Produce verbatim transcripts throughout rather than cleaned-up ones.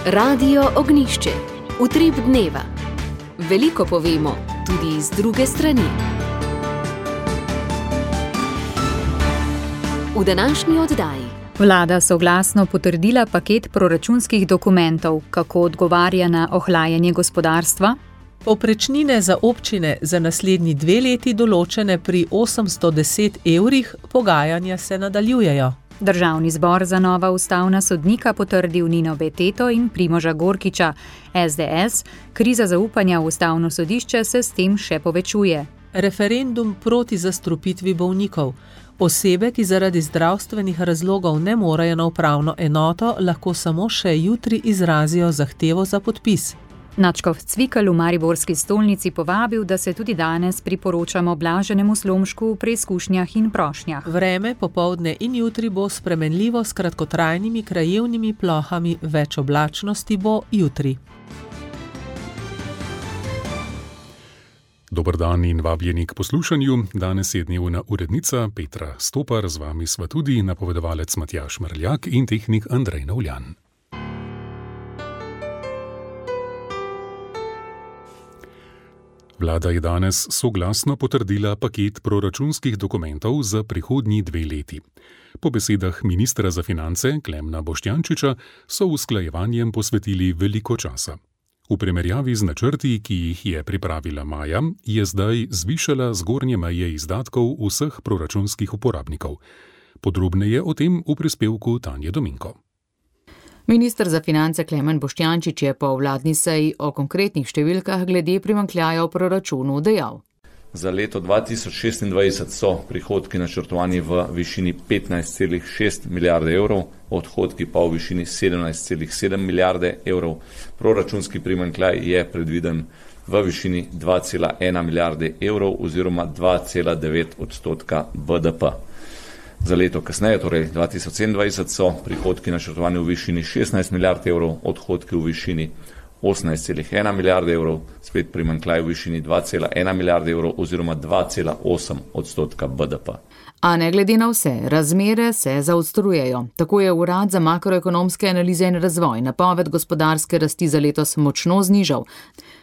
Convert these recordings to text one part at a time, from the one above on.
Radio Ognjišče. Utrip dneva. Veliko povemo, tudi iz druge strani. V današnji oddaji. Vlada soglasno potrdila paket proračunskih dokumentov, kako odgovarja na ohlajanje gospodarstva. Povprečnine za občine za naslednji dve leti določene pri osemsto deset evrih, pogajanja se nadaljujejo. Državni zbor za nova ustavna sodnika potrdil Nino Beteto in Primoža Gorkiča. es de es, kriza zaupanja v ustavno sodišče se s tem še povečuje. Referendum proti zastrupitvi bolnikov. Osebe, ki zaradi zdravstvenih razlogov ne morejo na upravno enoto, lahko samo še jutri izrazijo zahtevo za podpis. Nadškof Cvikl v mariborski stolnici povabil, da se tudi danes priporočamo blaženemu slomšku v preizkušnjah in prošnjah. Vreme popoldne in jutri bo spremenljivo s kratkotrajnimi krajevnimi plohami, več oblačnosti bo jutri. Dober dan in vabljeni k poslušanju. Danes je dnevna urednica Petra Stopar, z vami sva tudi napovedovalec Matjaž Mrljak in tehnik Andrej Novljan. Vlada je danes soglasno potrdila paket proračunskih dokumentov za prihodnji dve leti. Po besedah ministra za finance Klemna Boštjančiča so usklajevanjem posvetili veliko časa. V primerjavi z načrti, ki jih je pripravila maja, je zdaj zvišala zgornje meje izdatkov vseh proračunskih uporabnikov. Podrobneje o tem v prispevku Tanje Dominko. Minister za finance Klemen Boštjančič je po vladni seji o konkretnih številkah glede primanjkljaja v proračunu dejal. Za leto dva tisoč šestindvajset so prihodki načrtovani v višini petnajst celih šest milijarde evrov, odhodki pa v višini sedemnajst celih sedem milijarde evrov. Proračunski primanjkljaj je predviden v višini dva cela ena milijarde evrov oziroma dva cela devet odstotka be de pe. Za leto kasneje, torej dva tisoč sedemindvajset, so prihodki načrtovani v višini šestnajst milijard evrov, odhodki v višini osemnajst celih ena milijarde evrov, spet primanjkljaj v višini dva cela ena milijarde evrov oziroma dva cela osem odstotka be de pe. A ne glede na vse, razmere se zaostrujejo. Tako je Urad za makroekonomske analize in razvoj napoved gospodarske rasti za letos močno znižal.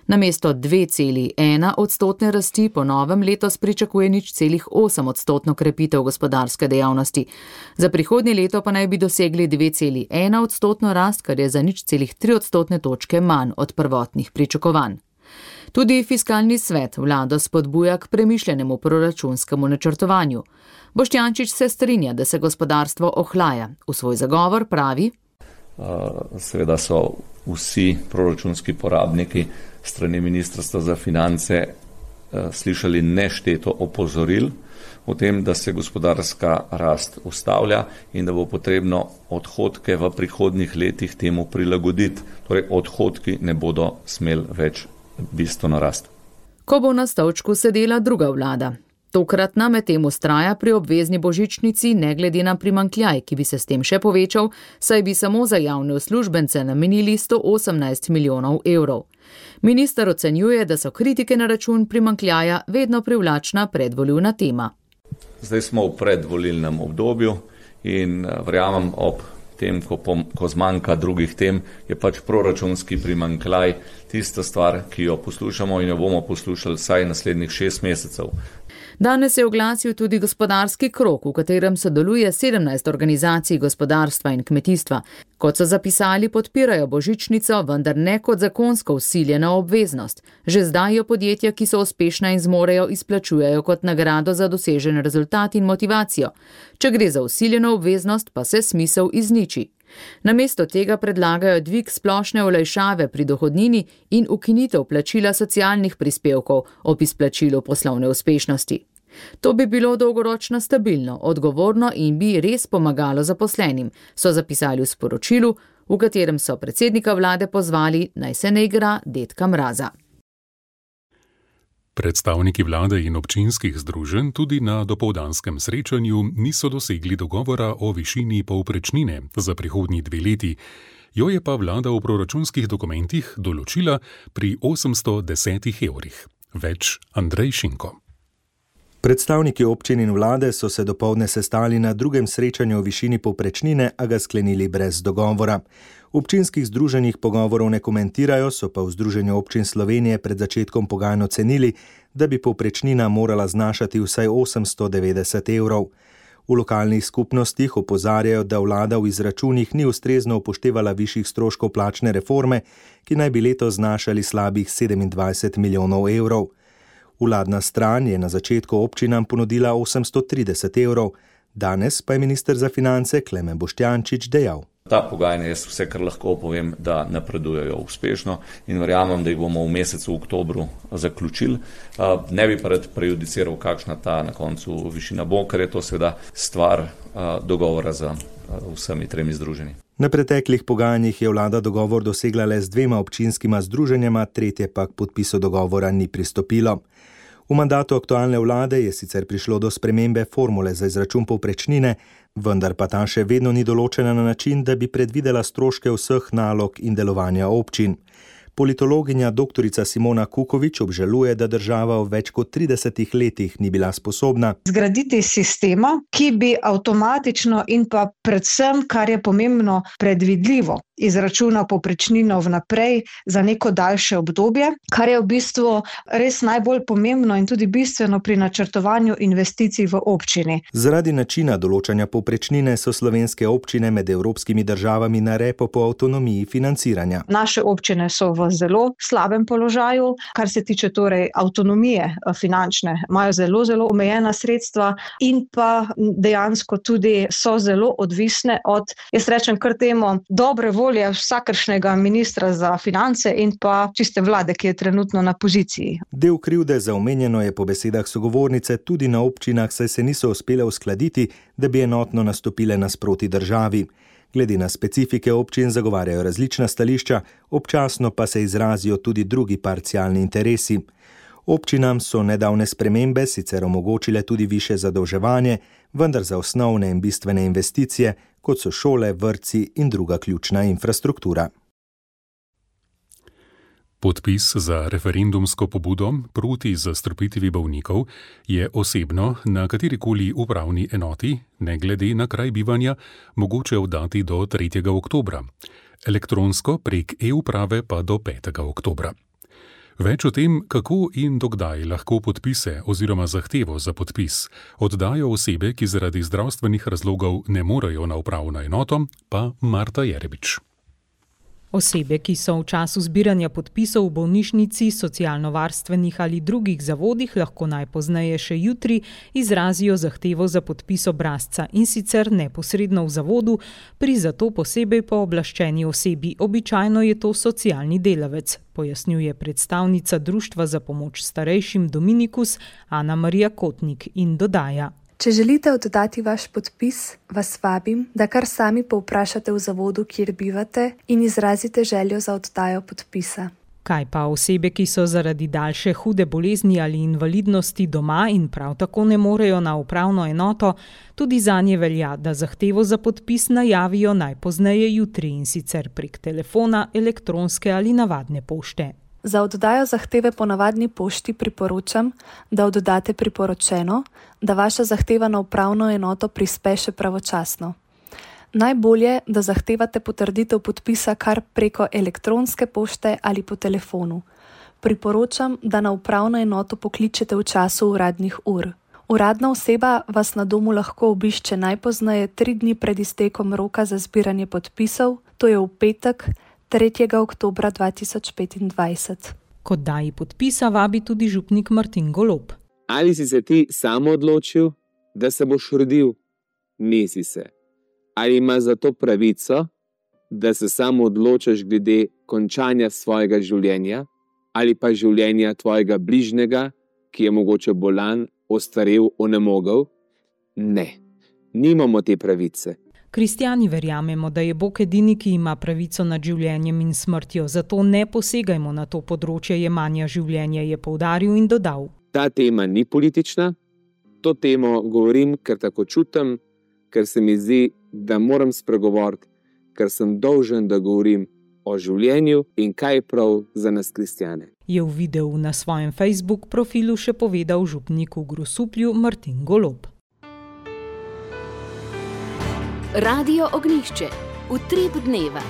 Namesto dve celi ena odstotne rasti po novem letos pričakuje nič celih osem odstotno krepitev gospodarske dejavnosti. Za prihodnje leto pa naj bi dosegli dve celi ena odstotno rast, kar je za nič celih tri odstotne točke manj od prvotnih pričakovanj. Tudi fiskalni svet vlado spodbuja k premišljenemu proračunskemu načrtovanju. Boštjančič se strinja, da se gospodarstvo ohlaja. V svoj zagovor pravi: Seveda so vsi proračunski porabniki strani Ministrstva za finance slišali nešteto opozoril o tem, da se gospodarska rast ustavlja in da bo potrebno odhodke v prihodnjih letih temu prilagoditi. Torej, odhodki ne bodo smeli več bistveno rasti. Ko bo na stolčku sedela druga vlada. Tokratna medtem vztraja pri obvezni božičnici ne glede na primanjkljaj, ki bi se s tem še povečal, saj bi samo za javne uslužbence namenili sto osemnajst milijonov evrov. Minister ocenjuje, da so kritike na račun primanjkljaja vedno privlačna predvolilna tema. Zdaj smo v predvolilnem obdobju in verjamem, ob tem, ko, pom, ko zmanjka drugih tem, je pač proračunski primanjkljaj tista stvar, ki jo poslušamo in jo bomo poslušali vsaj naslednjih šest mesecev. Danes je oglasil tudi gospodarski krog, v katerem sodeluje sedemnajst organizacij gospodarstva in kmetijstva. Kot so zapisali, podpirajo božičnico, vendar ne kot zakonsko vsiljena obveznost. Že zdaj jo podjetja, ki so uspešna in zmorejo, izplačujejo kot nagrado za dosežen rezultat in motivacijo. Če gre za vsiljeno obveznost, pa se smisel izniči. Namesto tega predlagajo dvig splošne olajšave pri dohodnini in ukinitev plačila socialnih prispevkov ob izplačilu poslovne uspešnosti. To bi bilo dolgoročno stabilno, odgovorno in bi res pomagalo zaposlenim, so zapisali v sporočilu, v katerem so predsednika vlade pozvali, naj se ne igra dedka mraza. Predstavniki vlade in občinskih združenj tudi na dopoldanskem srečanju niso dosegli dogovora o višini povprečnine za prihodnji dve leti. Jo je pa vlada v proračunskih dokumentih določila pri osemsto desetih evrih. Več Andrej Šinko. Predstavniki občin in vlade so se dopoldne sestali na drugem srečanju o višini povprečnine, a ga sklenili brez dogovora. V občinskih združenjih pogovorov ne komentirajo, so pa v Združenju občin Slovenije pred začetkom pogajanj ocenili, da bi povprečnina morala znašati vsaj osemsto devetdeset evrov. V lokalnih skupnostih opozarjajo, da vlada v izračunih ni ustrezno upoštevala višjih stroškov plačne reforme, ki naj bi letos znašali slabih sedemindvajset milijonov evrov. Vladna stran je na začetku občinam ponudila osemsto trideset evrov, danes pa je minister za finance Klemen Boštjančič dejal: Ta pogajanja, jaz vse, kar lahko povem, da napredujejo uspešno in verjamem, da jih bomo v mesecu oktobru zaključili. Ne bi pa rad prejudiciral, kakšna ta na koncu višina bo, ker je to seveda stvar dogovora z vsemi tremi združenji. Na preteklih pogajanjih je vlada dogovor dosegla le z dvema občinskima združenjama, tretje pa k podpisu dogovora ni pristopilo. V mandatu aktualne vlade je sicer prišlo do spremembe formule za izračun povprečnine, vendar pa ta še vedno ni določena na način, da bi predvidela stroške vseh nalog in delovanja občin. Politologinja doktorica Simona Kukovič obžaluje, da država v več kot tridesetih letih ni bila sposobna zgraditi sistema, ki bi avtomatično in pa predvsem, kar je pomembno, predvidljivo izračunal povprečnino vnaprej za neko daljše obdobje, kar je v bistvu res najbolj pomembno in tudi bistveno pri načrtovanju investicij v občini. Zaradi načina določanja povprečnine so slovenske občine med evropskimi državami na repu po avtonomiji financiranja. Naše občine so v zelo slabem položaju, kar se tiče torej avtonomije finančne, imajo zelo, zelo omejena sredstva in pa dejansko tudi so zelo odvisne od, jaz rečem kar temu, dobre volje vsakršnega ministra za finance in pa čiste vlade, ki je trenutno na poziciji. Del krivde za omenjeno je po besedah sogovornice tudi na občinah, saj se niso uspele uskladiti, da bi enotno nastopile nasproti državi. Glede na specifike občin zagovarjajo različna stališča, občasno pa se izrazijo tudi drugi parcialni interesi. Občinam so nedavne spremembe sicer omogočile tudi višje zadolževanje, vendar za osnovne in bistvene investicije, kot so šole, vrtci in druga ključna infrastruktura. Podpis za referendumsko pobudo proti zastrupitvi bolnikov je osebno na katerikoli upravni enoti, ne glede na kraj bivanja, mogoče oddati do tretjega oktobra, elektronsko prek e-uprave pa do petega oktobra. Več o tem, kako in dokdaj lahko podpise oziroma zahtevo za podpis oddajo osebe, ki zaradi zdravstvenih razlogov ne morejo na upravno enoto, pa Marta Jerebič. Osebe, ki so v času zbiranja podpisov v bolnišnici, socialno-varstvenih ali drugih zavodih, lahko najpozneje še jutri izrazijo zahtevo za podpis obrazca in sicer neposredno v zavodu pri zato posebej pooblaščeni osebi. Običajno je to socialni delavec, pojasnjuje predstavnica Društva za pomoč starejšim Dominikus Ana Marija Kotnik in dodaja: Če želite oddati vaš podpis, vas vabim, da kar sami povprašate v zavodu, kjer bivate, in izrazite željo za oddajo podpisa. Kaj pa osebe, ki so zaradi daljše hude bolezni ali invalidnosti doma in prav tako ne morejo na upravno enoto, tudi zanje velja, da zahtevo za podpis najavijo najpozneje jutri in sicer prek telefona, elektronske ali navadne pošte. Za oddajo zahteve po navadni pošti priporočam, da oddate priporočeno, da vaša zahteva na upravno enoto prispe še pravočasno. Najbolje, da zahtevate potrditev podpisa kar preko elektronske pošte ali po telefonu. Priporočam, da na upravno enoto pokličete v času uradnih ur. Uradna oseba vas na domu lahko obišče najpozneje tri dni pred iztekom roka za zbiranje podpisov, to je v petek, tretjega oktobra dva tisoč petindvajset. Kot daji podpisa vabi tudi župnik Martin Golob. Ali si se ti samo odločil, da se boš rodil? Nisi se. Ali imaš za to pravico, da se samo odločaš glede končanja svojega življenja ali pa življenja tvojega bližnjega, ki je mogoče bolan, ostarel, onemogel? Ne, nimamo te pravice. Kristjani verjamemo, da je Bog edini, ki ima pravico nad življenjem in smrtjo, zato ne posegajmo na to področje jemanja življenja, je poudaril in dodal. Ta tema ni politična, to temo govorim, ker tako čutim, ker se mi zdi, da moram spregovoriti, ker sem dolžen, da govorim o življenju in kaj je prav za nas kristjane. je v videu na svojem Facebook profilu še povedal župnik v Grosuplju Martin Golob. Radio Ognjišče, utrip dneva.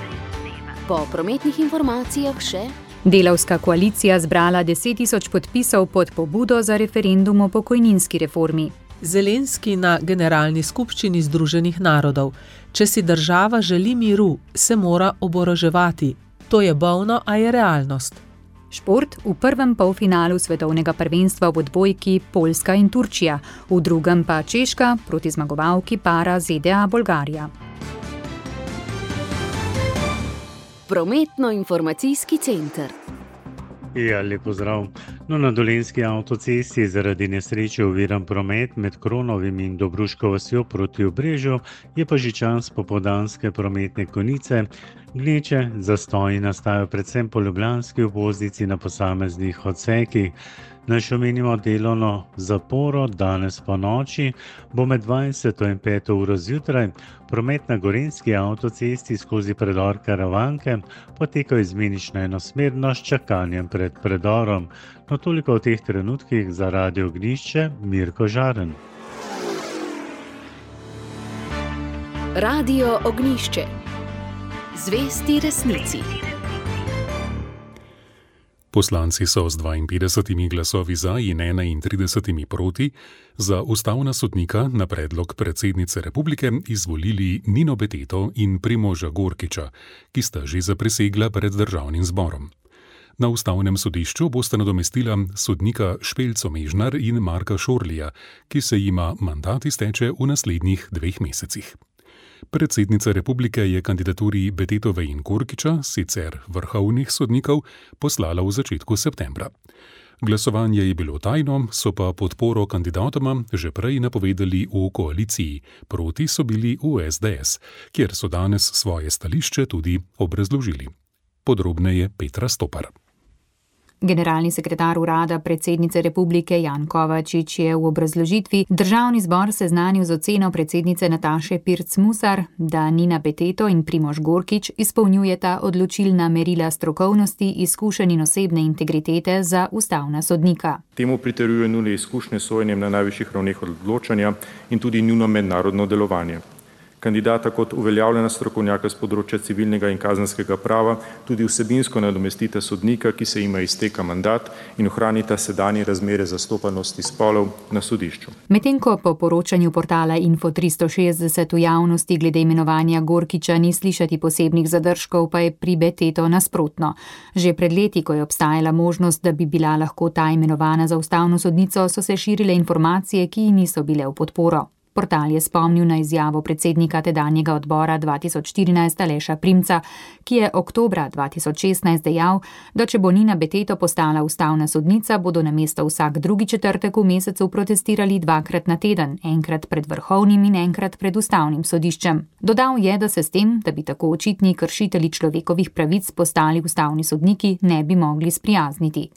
Po prometnih informacijah še: Delavska koalicija zbrala deset tisoč podpisov pod pobudo za referendum o pokojninski reformi. Zelenski na generalni skupščini Združenih narodov: Če si država želi miru, se mora oboroževati. To je bolno, a je realnost. Šport: v prvem polfinalu svetovnega prvenstva v odbojki Poljska in Turčija, v drugem pa Češka proti zmagovalki para Z D A Bolgarija. Prometno-informacijski center. Ja, lep pozdrav. No, na Dolenjski avtocesti zaradi nesreče oviran promet med Kronovim in Dobruško vasjo proti Obrežju, je pa že čas popoldanske prometne konice. Gneče zastoji nastajajo predvsem po ljubljanski obvoznici na posameznih odsekih. Naj še omenimo delovno zaporo, danes po noči bo med dvajseto in peto uro zjutraj promet na Gorenjski avtocesti skozi predor Karavanke potekal izmenično enosmerno s čakanjem pred predorom. No, toliko v teh trenutkih za Radio Ognjišče, Mirko Žaren. Radio Ognjišče. Zvesti resnici. Poslanci so z dvainpetdesetimi glasovi za in enaintridesetimi proti za ustavna sodnika na predlog predsednice republike izvolili Nino Beteto in Primoža Gorkiča, ki sta že zaprisegla pred državnim zborom. Na ustavnem sodišču bosta nadomestila sodnika Špelco Mežnar in Marka Šorlija, ki se jima mandat izteče v naslednjih dveh mesecih. Predsednica republike je kandidaturi Betetove in Gorkiča, sicer vrhovnih sodnikov, poslala v začetku septembra. Glasovanje je bilo tajno, so pa podporo kandidatoma že prej napovedali v koaliciji, proti so bili v S D S, kjer so danes svoje stališče tudi obrazložili. Podrobneje Petra Stopar. Generalni sekretar urada predsednice republike Jan Kovačič je v obrazložitvi državni zbor seznanil z oceno predsednice Nataše Pirc Musar, da Nina Beteto in Primož Gorkič izpolnjujeta odločilna merila strokovnosti, izkušenj in osebne integritete za ustavna sodnika. Temu pritrjuje njune izkušnje s sojenjem na najvišjih ravneh odločanja in tudi njuno mednarodno delovanje. Kandidata kot uveljavljena strokovnjaka z področja civilnega in kazenskega prava tudi vsebinsko nadomestita sodnika, ki se jima izteka mandat, in ohranita sedanje razmere zastopanosti spolov na sodišču. Medtem ko po poročanju portala Info tristo šestdeset v javnosti glede imenovanja Gorkiča ni slišati posebnih zadržkov, pa je pri Beteto nasprotno. Že pred leti, ko je obstajala možnost, da bi bila lahko ta imenovana za ustavno sodnico, so se širile informacije, ki ji niso bile v podporo. Portal je spomnil na izjavo predsednika tedanjega odbora dva tisoč štirinajst Aleša Primca, ki je oktobra dva tisoč šestnajst dejal, da če bo Nina Beteto postala ustavna sodnica, bodo namesto vsak drugi četrtek v mesecu protestirali dvakrat na teden, enkrat pred vrhovnim in enkrat pred ustavnim sodiščem. Dodal je, da se s tem, da bi tako očitni kršitelji človekovih pravic postali ustavni sodniki, ne bi mogli sprijazniti.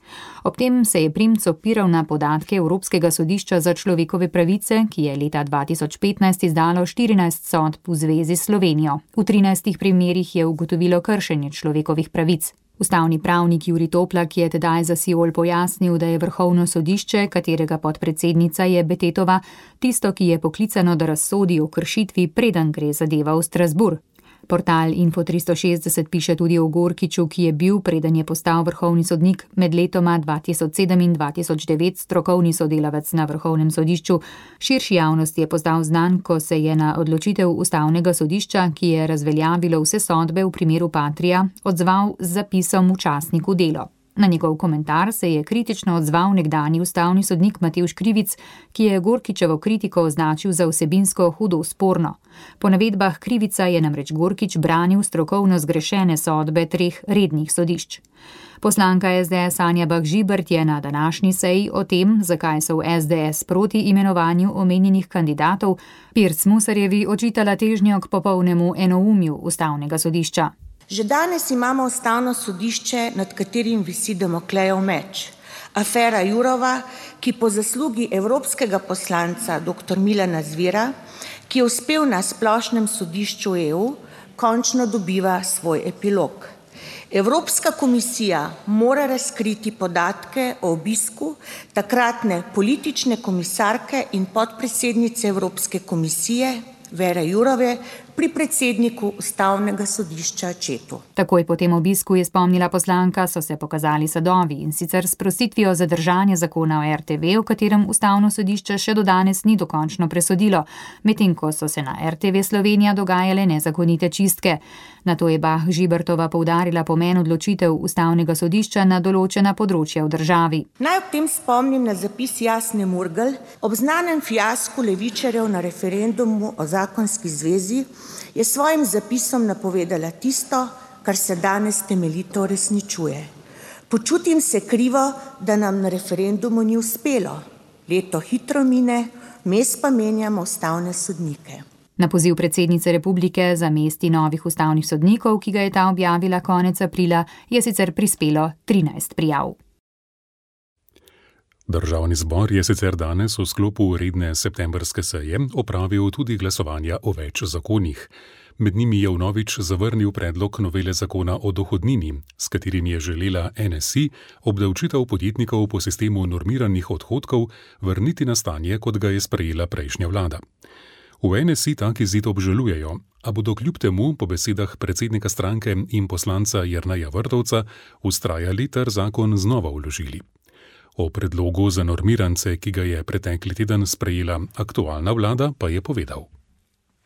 Ob tem se je Primc opiral na podatke Evropskega sodišča za človekove pravice, ki je leta dva tisoč petnajst izdalo štirinajst sodb v zvezi s Slovenijo. V trinajstih primerih je ugotovilo kršenje človekovih pravic. Ustavni pravnik Jurij Toplak je tedaj za Siol pojasnil, da je vrhovno sodišče, katerega podpredsednica je Betetova, tisto, ki je poklicano, da razsodi o kršitvi, preden gre zadeva v Strasbourg. Portal Info tristo šestdeset piše tudi o Gorkiču, ki je bil, preden je postal vrhovni sodnik, med letoma dva tisoč sedem in dva tisoč devet strokovni sodelavec na vrhovnem sodišču. Širši javnosti je postal znan, ko se je na odločitev ustavnega sodišča, ki je razveljavilo vse sodbe v primeru Patria, odzval z zapisom v časniku Delo. Na njegov komentar se je kritično odzval nekdanji ustavni sodnik Matevž Krivic, ki je Gorkičevo kritiko označil za vsebinsko hudo sporno. Po navedbah Krivica je namreč Gorkič branil strokovno zgrešene sodbe treh rednih sodišč. Poslanka S D S Anja Bah Žibert je na današnji seji o tem, zakaj so v S D S proti imenovanju omenjenih kandidatov, Pirc Musarjevi očitala težnjo k popolnemu enoumju ustavnega sodišča. Že danes imamo ustavno sodišče, nad katerim visi Damoklejev meč. Afera Jurova, ki po zaslugi evropskega poslanca dr. Milana Zvira, ki je uspel na splošnem sodišču E U, končno dobiva svoj epilog. Evropska komisija mora razkriti podatke o obisku takratne politične komisarke in podpredsednice Evropske komisije Vere Jourove pri predsedniku Ustavnega sodišča Accettu. Takoj po tem obisku, je spomnila poslanka, so se pokazali sadovi, in sicer s prositvijo zadržanja zakona o er te ve, v katerem Ustavno sodišče še do danes ni dokončno presodilo, medtem ko so se na er te ve Slovenija dogajale nezakonite čistke. Nato je Bah Žibertova poudarila pomen odločitev Ustavnega sodišča na določena področja v državi. Naj ob tem spomnim na zapis Jasne Murgel ob znanem fiasku levičarjev na referendumu o zakonski zvezi, je svojim zapisom napovedala tisto, kar se danes temeljito uresničuje. Počutim se krivo, da nam na referendumu ni uspelo. Leto hitro mine, mes pa menjamo ustavne sodnike. Na poziv predsednice republike za mesti novih ustavnih sodnikov, ki ga je ta objavila konec aprila, je sicer prispelo trinajst prijav. Državni zbor je sicer danes v sklopu redne septembrske seje opravil tudi glasovanja o več zakonih. Med njimi je vnovič zavrnil predlog novele zakona o dohodnini, s katerim je želela en es i obdavčitev podjetnikov po sistemu normiranih odhodkov vrniti na stanje, kot ga je sprejela prejšnja vlada. V en es i tak izid obžalujejo, a bodo kljub temu po besedah predsednika stranke in poslanca Jerneja Vrtovca vztrajali ter zakon znova vložili. O predlogu za normirance, ki ga je pretekli teden sprejela aktualna vlada, pa je povedal.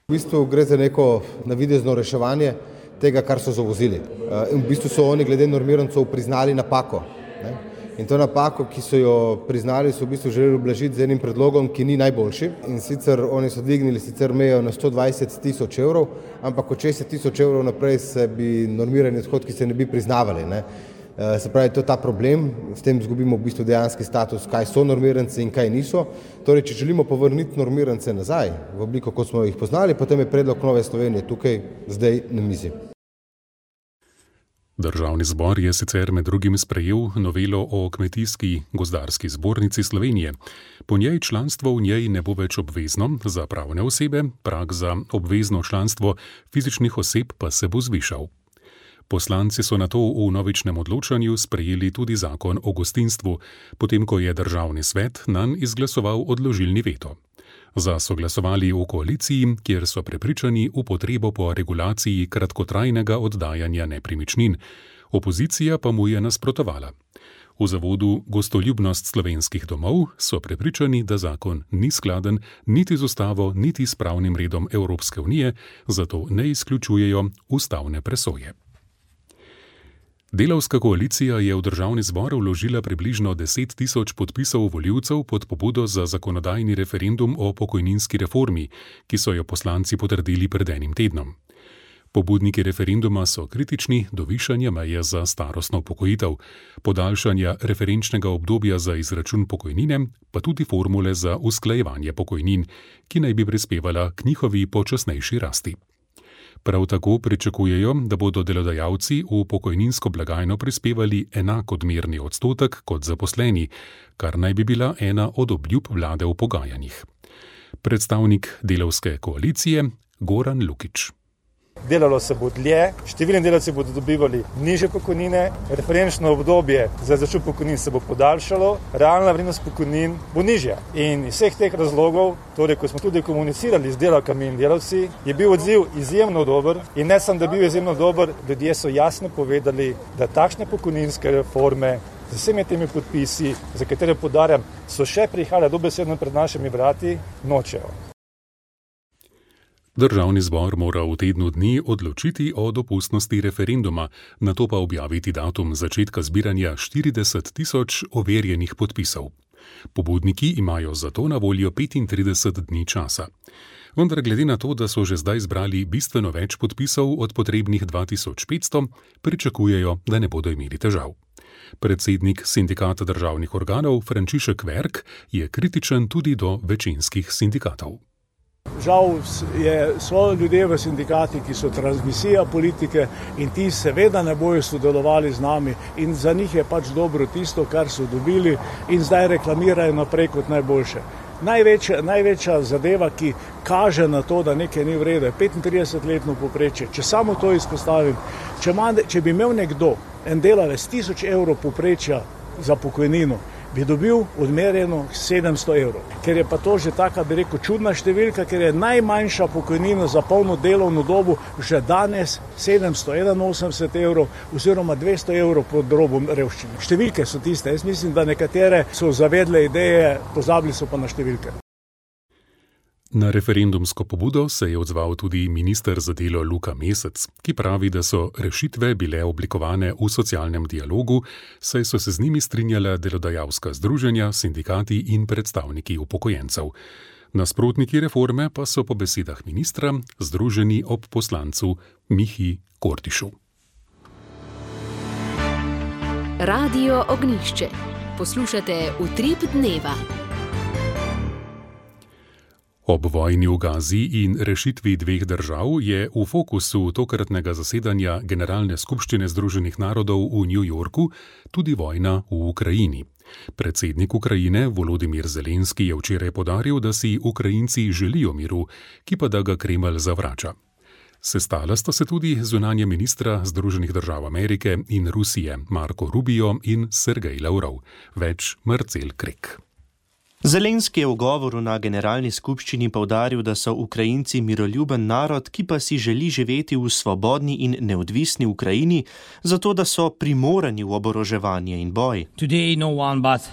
V bistvu gre za neko navidezno reševanje tega, kar so zavozili. In v bistvu so oni glede normirancov priznali napako. Ne? In to napako, ki so jo priznali, so v bistvu želeli ublažiti z enim predlogom, ki ni najboljši. In sicer oni so dvignili sicer mejo na sto dvajset tisoč evrov, ampak od šestdeset tisoč evrov naprej se bi normirani odhodki se ne bi priznavali. Ne? Se pravi, to je ta problem, s tem izgubimo v bistvu dejanski status, kaj so normirance in kaj niso. Torej, če želimo povrniti normirance nazaj v obliko, kot smo jih poznali, potem je predlog Nove Slovenije tukaj zdaj na mizi. Državni zbor je sicer med drugim sprejel novelo o Kmetijski gozdarski zbornici Slovenije. Po njej članstvo v njej ne bo več obvezno za pravne osebe, prag za obvezno članstvo fizičnih oseb pa se bo zvišal. Poslanci so nato v novičnem odločanju sprejeli tudi zakon o gostinstvu, potem ko je državni svet nanj izglasoval odložilni veto. Za so glasovali v koaliciji, kjer so prepričani v potrebo po regulaciji kratkotrajnega oddajanja nepremičnin. Opozicija pa mu je nasprotovala. V zavodu Gostoljubnost slovenskih domov so prepričani, da zakon ni skladen niti z ustavo, niti s pravnim redom Evropske unije, zato ne izključujejo ustavne presoje. Delavska koalicija je v državni zbor vložila približno deset tisoč podpisov volivcev pod pobudo za zakonodajni referendum o pokojninski reformi, ki so jo poslanci potrdili pred enim tednom. Pobudniki referenduma so kritični do višanja meje za starostno upokojitev, podaljšanja referenčnega obdobja za izračun pokojnine, pa tudi formule za usklajevanje pokojnin, ki naj bi prispevala k njihovi počasnejši rasti. Prav tako pričakujejo, da bodo delodajalci v pokojninsko blagajno prispevali enak odmerni odstotek kot zaposleni, kar naj bi bila ena od obljub vlade v pogajanjih. Predstavnik delavske koalicije Goran Lukič. Delalo se bo dlje, številni delavci bodo dobivali nižje pokojnine, referenčno obdobje za izračun pokojnin se bo podaljšalo, realna vrednost pokojnin bo nižja. In iz vseh teh razlogov, torej ko smo tudi komunicirali z delavkami in delavci, je bil odziv izjemno dober in ne samo, da je bil izjemno dober, ljudje so jasno povedali, da takšne pokojninske reforme z vsemi temi podpisi, za katere podarjam, so še prihajale dobesedno pred našimi vrati, nočejo. Državni zbor mora v tednu dni odločiti o dopustnosti referenduma, nato pa objaviti datum začetka zbiranja štirideset tisoč overjenih podpisov. Pobudniki imajo zato na voljo petintrideset dni časa. Vendar glede na to, da so že zdaj zbrali bistveno več podpisov od potrebnih dva tisoč petsto, pričakujejo, da ne bodo imeli težav. Predsednik sindikata državnih organov Frančišek Verk je kritičen tudi do večinskih sindikatov. Žal je, so ljudje v sindikati, ki so transmisija politike in ti seveda ne bojo sodelovali z nami in za njih je pač dobro tisto, kar so dobili in zdaj reklamirajo naprej kot najboljše. največja, največja zadeva, ki kaže na to, da nekaj ni v redu, je petintridesetletno povprečje. Če samo to izpostavim, če, ima, če bi imel nekdo, en delavec, tisoč evrov povprečja za pokojnino, bi dobil odmerjeno sedemsto evrov. Ker je pa to že taka, bi rekel, čudna številka, ker je najmanjša pokojnina za polno delovno dobu že danes sedemsto enainosemdeset evrov oziroma dvesto evrov pod robom revščine. Številke so tiste, jaz mislim, da nekatere so zavedle ideje, pozabili so pa na številke. Na referendumsko pobudo se je odzval tudi minister za delo Luka Mesec, ki pravi, da so rešitve bile oblikovane v socialnem dialogu, saj so se z njimi strinjala delodajalska združenja, sindikati in predstavniki upokojencev. Nasprotniki reforme pa so po besedah ministra združeni ob poslancu Mihi Kordišu. Radio Ognjišče. Poslušate Utrip dneva. Ob vojni v Gazi in rešitvi dveh držav je v fokusu tokratnega zasedanja Generalne skupščine Združenih narodov v New Yorku tudi vojna v Ukrajini. Predsednik Ukrajine Volodimir Zelenski je včeraj podaril, da si Ukrajinci želijo miru, ki pa da ga Kremelj zavrača. Sestala sta se tudi zunanja ministra Združenih držav Amerike in Rusije Marko Rubio in Sergej Lavrov. Več Marcel Krek. Zelenski je v govoru na generalni skupščini poudaril, da so Ukrajinci miroljuben narod, ki pa si želi živeti v svobodni in neodvisni Ukrajini, zato da so primorani v oboroževanje in boj. Today no one but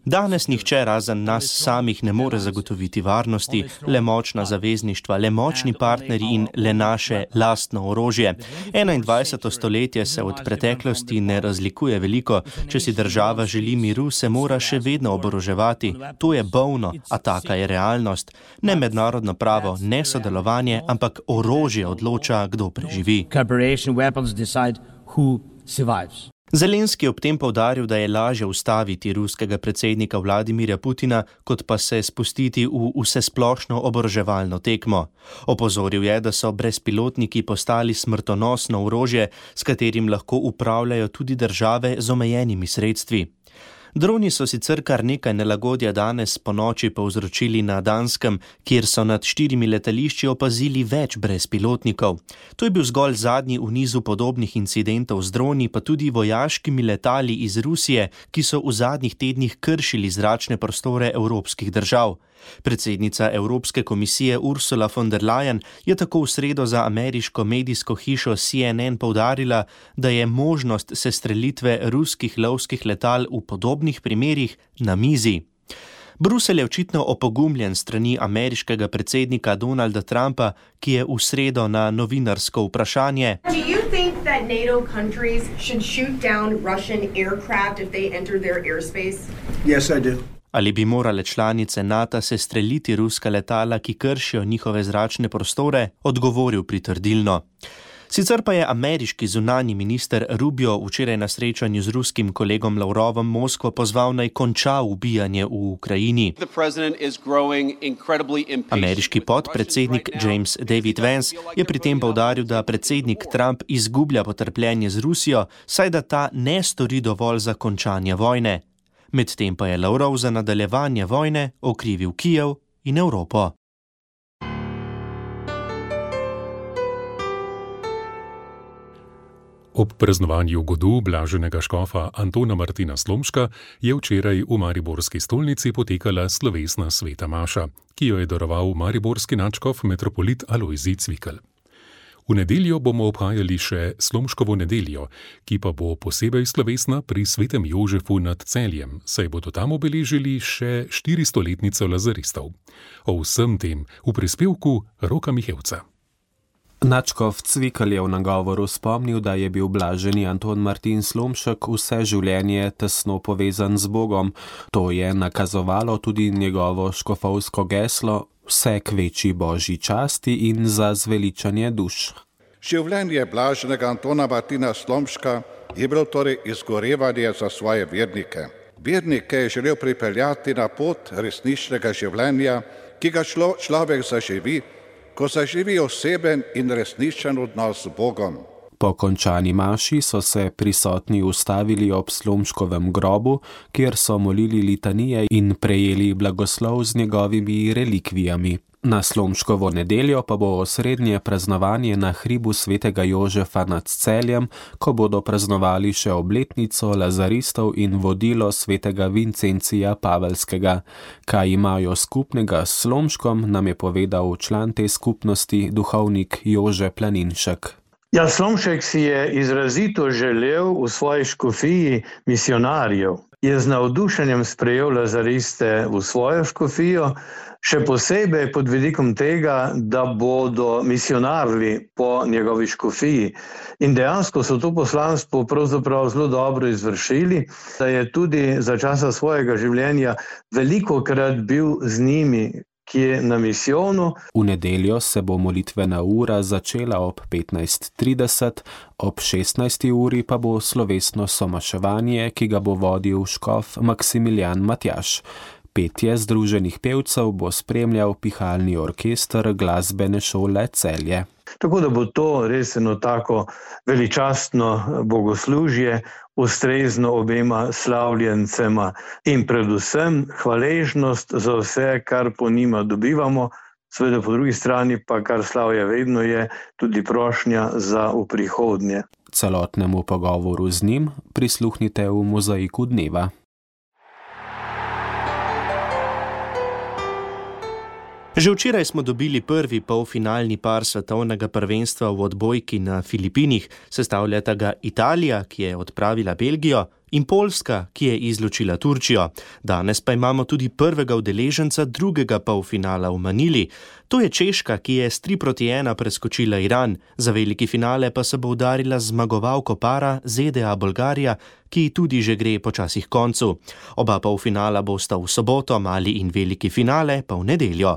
Danes nihče razen nas samih ne more zagotoviti varnosti, le močna zavezništva, le močni partnerji in le naše lastno orožje. enaindvajseto stoletje se od preteklosti ne razlikuje veliko. Če si država želi miru, se mora še vedno oboroževati. To je bolno, a taka je realnost. Ne mednarodno pravo, ne sodelovanje, ampak orožje odloča, kdo preživi. Zelenski je ob tem poudaril, da je lažje ustaviti ruskega predsednika Vladimirja Putina, kot pa se spustiti v vsesplošno oboroževalno tekmo. Opozoril je, da so brezpilotniki postali smrtonosno orožje, s katerim lahko upravljajo tudi države z omejenimi sredstvi. Droni so sicer kar nekaj nelagodja danes po noči povzročili na Danskem, kjer so nad štirimi letališči opazili več brezpilotnikov. To je bil zgolj zadnji v nizu podobnih incidentov z droni, pa tudi vojaškimi letali iz Rusije, ki so v zadnjih tednih kršili zračne prostore evropskih držav. Predsednica Evropske komisije Ursula von der Leyen je tako v sredo za ameriško medijsko hišo C N N poudarila, da je možnost sestrelitve ruskih lovskih letal v podobnih primerih na mizi. Bruselj je očitno opogumljen strani ameriškega predsednika Donalda Trumpa, ki je v sredo na novinarsko vprašanje: Do you think that NATO countries should shoot down Russian aircraft if they enter their airspace? Yes, I do. Ali bi morale članice NATO sestreliti ruska letala, ki kršijo njihove zračne prostore, odgovoril pritrdilno. Sicer pa je ameriški zunanji minister Rubio včeraj na srečanju z ruskim kolegom Lavrovom Moskvo pozval naj konča ubijanje v Ukrajini. Ameriški podpredsednik James David Vance je pri tem poudaril, da predsednik Trump izgublja potrpljenje z Rusijo, saj da ta ne stori dovolj za končanje vojne. Medtem pa je Lavrov za nadaljevanje vojne okrivil Kijev in Evropo. Ob praznovanju godu blaženega škofa Antona Martina Slomška je včeraj v mariborski stolnici potekala slovesna sveta maša, ki jo je daroval mariborski nadškof metropolit Alojzij Cvikl. V nedeljo bomo obhajali še Slomškovo nedeljo, ki pa bo posebej slovesna pri svetem Jožefu nad Celjem, saj bodo tam obeležili še štiristoletnico lazaristov. O vsem tem v prispevku Roka Mihevca. Nadškof Cvikl je v nagovoru spomnil, da je bil blaženi Anton Martin Slomšek vse življenje tesno povezan z Bogom. To je nakazovalo tudi njegovo škofovsko geslo vse k večji božji časti in za zveličanje duš. Življenje blaženega Antona Martina Slomška je bilo torej izgorevanje za svoje vernike. Vernike je želel pripeljati na pot resničnega življenja, ki ga človek zaživi, ko zaživi oseben in resničen odnos z Bogom. Po končani maši so se prisotni ustavili ob Slomškovem grobu, kjer so molili litanije in prejeli blagoslov z njegovimi relikvijami. Na Slomškovo nedeljo pa bo osrednje praznovanje na hribu svetega Jožefa nad Celjem, ko bodo praznovali še obletnico lazaristov in vodilo svetega Vincencija Pavelskega. Kaj imajo skupnega s Slomškom, nam je povedal član te skupnosti, duhovnik Jože Planinšek. Ja, Slomšek si je izrazito želel v svoji škofiji misionarjev. Je z navdušenjem sprejel lazariste v svojo škofijo, še posebej pod vidikom tega, da bodo misionarili po njegovi škofiji. In dejansko so to poslanstvo pravzaprav zelo dobro izvršili, da je tudi za časa svojega življenja velikokrat bil z njimi, ki je na misijonu. V nedeljo se bo molitvena ura začela ob petnajst trideset, ob šestnajsti uri pa bo slovesno somaševanje, ki ga bo vodil škof Maksimilijan Matjaž. Petje združenih pevcev bo spremljal pihalni orkester glasbene šole Celje. Tako da bo to res eno tako veličastno bogoslužje, ustrezno obema slavljencema in predvsem hvaležnost za vse, kar po njima dobivamo, seveda po drugi strani pa, kar slavje vedno je, tudi prošnja za v prihodnje. Celotnemu pogovoru z njim prisluhnite v Mozaiku dneva. Že včeraj smo dobili prvi polfinalni par svetovnega prvenstva v odbojki na Filipinih. Sestavljata ga Italija, ki je odpravila Belgijo, in Poljska, ki je izločila Turčijo. Danes pa imamo tudi prvega udeleženca drugega polfinala v Manili. To je Češka, ki je s tri proti ena preskočila Iran. Za veliki finale pa se bo udarila zmagovalko para Z D A Bolgarija, ki tudi že gre počasi k koncu. Oba polfinala bosta v soboto, mali in veliki finale pa v nedeljo.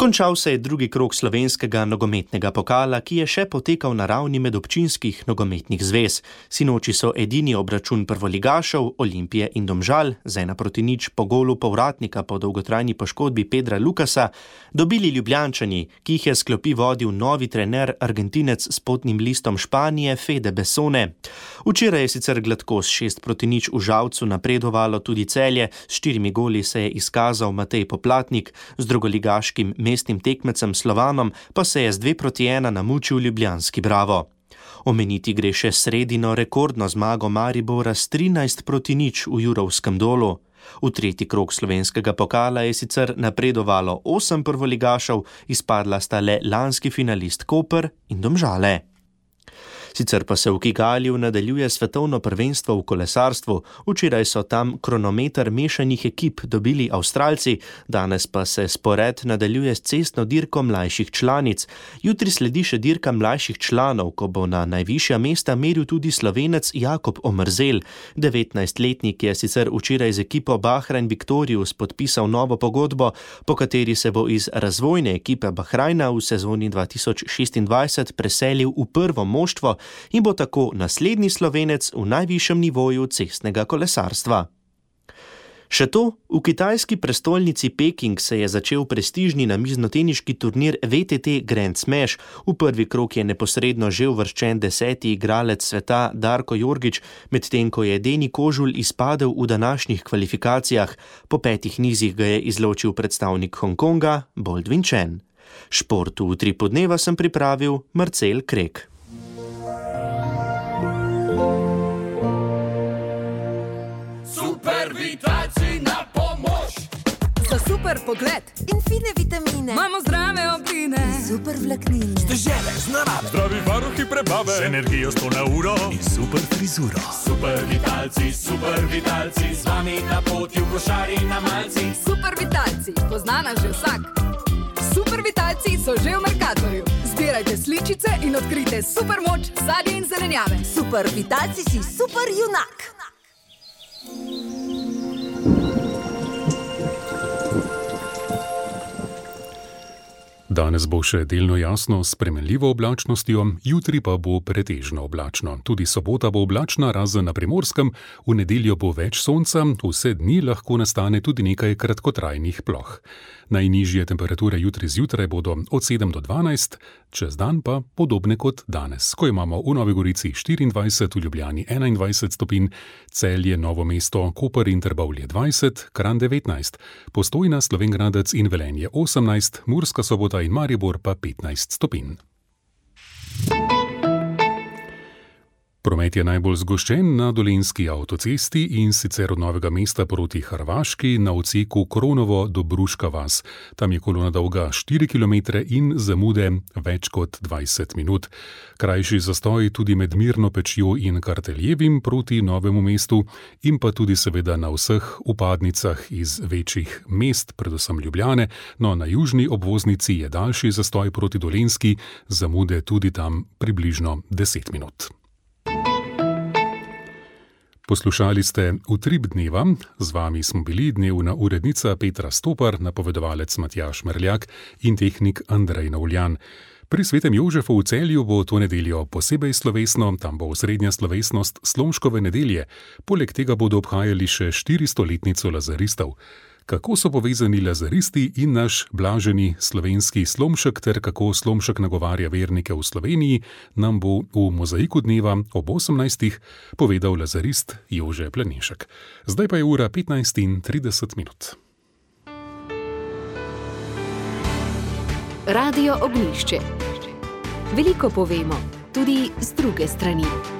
Končal se je drugi krog slovenskega nogometnega pokala, ki je še potekal na ravni medobčinskih nogometnih zvez. Sinoči so edini obračun prvoligašev Olimpije in Domžal z ena proti nič po golu povratnika po dolgotrajni poškodbi Pedra Lukasa dobili Ljubljančani, ki jih je s klopi vodil novi trener Argentinec s potnim listom Španije Fede Besone. Včeraj je sicer gladko s šest proti nič v Žalcu napredovalo tudi Celje, s štirimi goli se je izkazal Matej Poplatnik, z drugoligaškim mestnim tekmecem Slovanom pa se je z dve proti ena namučil ljubljanski Bravo. Omeniti gre še sredino rekordno zmago Maribora s trinajst proti nič v Jurovskem Dolu. V tretji krog slovenskega pokala je sicer napredovalo osem prvoligašev, izpadla sta le lanski finalist Koper in Domžale. Sicer pa se v Kigaliju nadaljuje svetovno prvenstvo v kolesarstvu. Včeraj so tam kronometer mešanih ekip dobili Avstralci, danes pa se spored nadaljuje s cestno dirko mlajših članic. Jutri sledi še dirka mlajših članov, ko bo na najvišja mesta meril tudi Slovenec Jakob Omerzel. devetnajstletnik je sicer včeraj z ekipo Bahrain Victorious podpisal novo pogodbo, po kateri se bo iz razvojne ekipe Bahrajna v sezoni dva tisoč šestindvajset preselil v prvo moštvo in bo tako naslednji Slovenec v najvišjem nivoju cestnega kolesarstva. Še to, v kitajski prestolnici Peking se je začel prestižni namiznoteniški turnir V T T Grand Smash. V prvi krog je neposredno že uvrščen deseti igralec sveta Darko Jorgič, medtem ko je Deni Kožul izpadel v današnjih kvalifikacijah. Po petih nizih ga je izločil predstavnik Hongkonga Boldvin Chen. Športu v tri podneva sem pripravil Marcel Krek. Super pogled in fine vitamine. Imamo zdrave obline, super vlaknine. Ste žele z narave, zdravi varuhi prebave, z energijo sto na uro in super frizuro. Super vitalci, super vitalci, z vami na poti v košari na malci. Super vitalci, poznana že vsak. Super vitalci so že v Mercatorju. Zbirajte sličice in odkrite super moč sadja in zelenjave. Super vitalci si super junak. Danes bo še delno jasno s spremenljivo oblačnostjo, jutri pa bo pretežno oblačno. Tudi sobota bo oblačna, razen na Primorskem, v nedeljo bo več sonca, vse dni lahko nastane tudi nekaj kratkotrajnih ploh. Najnižje temperature jutri zjutraj bodo od sedem do dvanajst, čez dan pa podobne kot danes, ko imamo v Novi Gorici štiriindvajset, v Ljubljani enaindvajset stopinj, Celje, Novo mesto, Koper in Trbovlje dvajset, Kranj devetnajst, Postojna, Slovenj Gradec in Velenje osemnajst, Murska Sobota in Maribor pa petnajst stopinj. Promet je najbolj zgoščen na Dolenjski avtocesti in sicer od Novega mesta proti Hrvaški na odseku Kronovo do Bruška vas. Tam je kolona dolga štiri kilometre in zamude več kot dvajset minut. Krajši zastoj tudi med Mirno Pečjo in Karteljevim proti Novemu mestu in pa tudi seveda na vseh vpadnicah iz večjih mest, predvsem Ljubljane, no na južni obvoznici je daljši zastoj proti Dolenjski, zamude tudi tam približno deset minut. Poslušali ste Utrip dneva, z vami smo bili dnevna urednica Petra Stopar, napovedovalec Matjaž Merljak in tehnik Andrej Novljan. Pri Svetem Jožefu v Celju bo to nedeljo posebej slovesno, tam bo osrednja slovesnost Slomškove nedelje, poleg tega bodo obhajali še štiristoletnico lazaristov. Kako so povezani lazaristi in naš blaženi slovenski Slomšek ter kako Slomšek nagovarja vernike v Sloveniji, nam bo v Mozaiku dneva ob osemnajstih povedal lazarist Jože Planešek. Zdaj pa je ura petnajst in trideset minut. Radio Ognjišče. Veliko povemo, tudi z druge strani.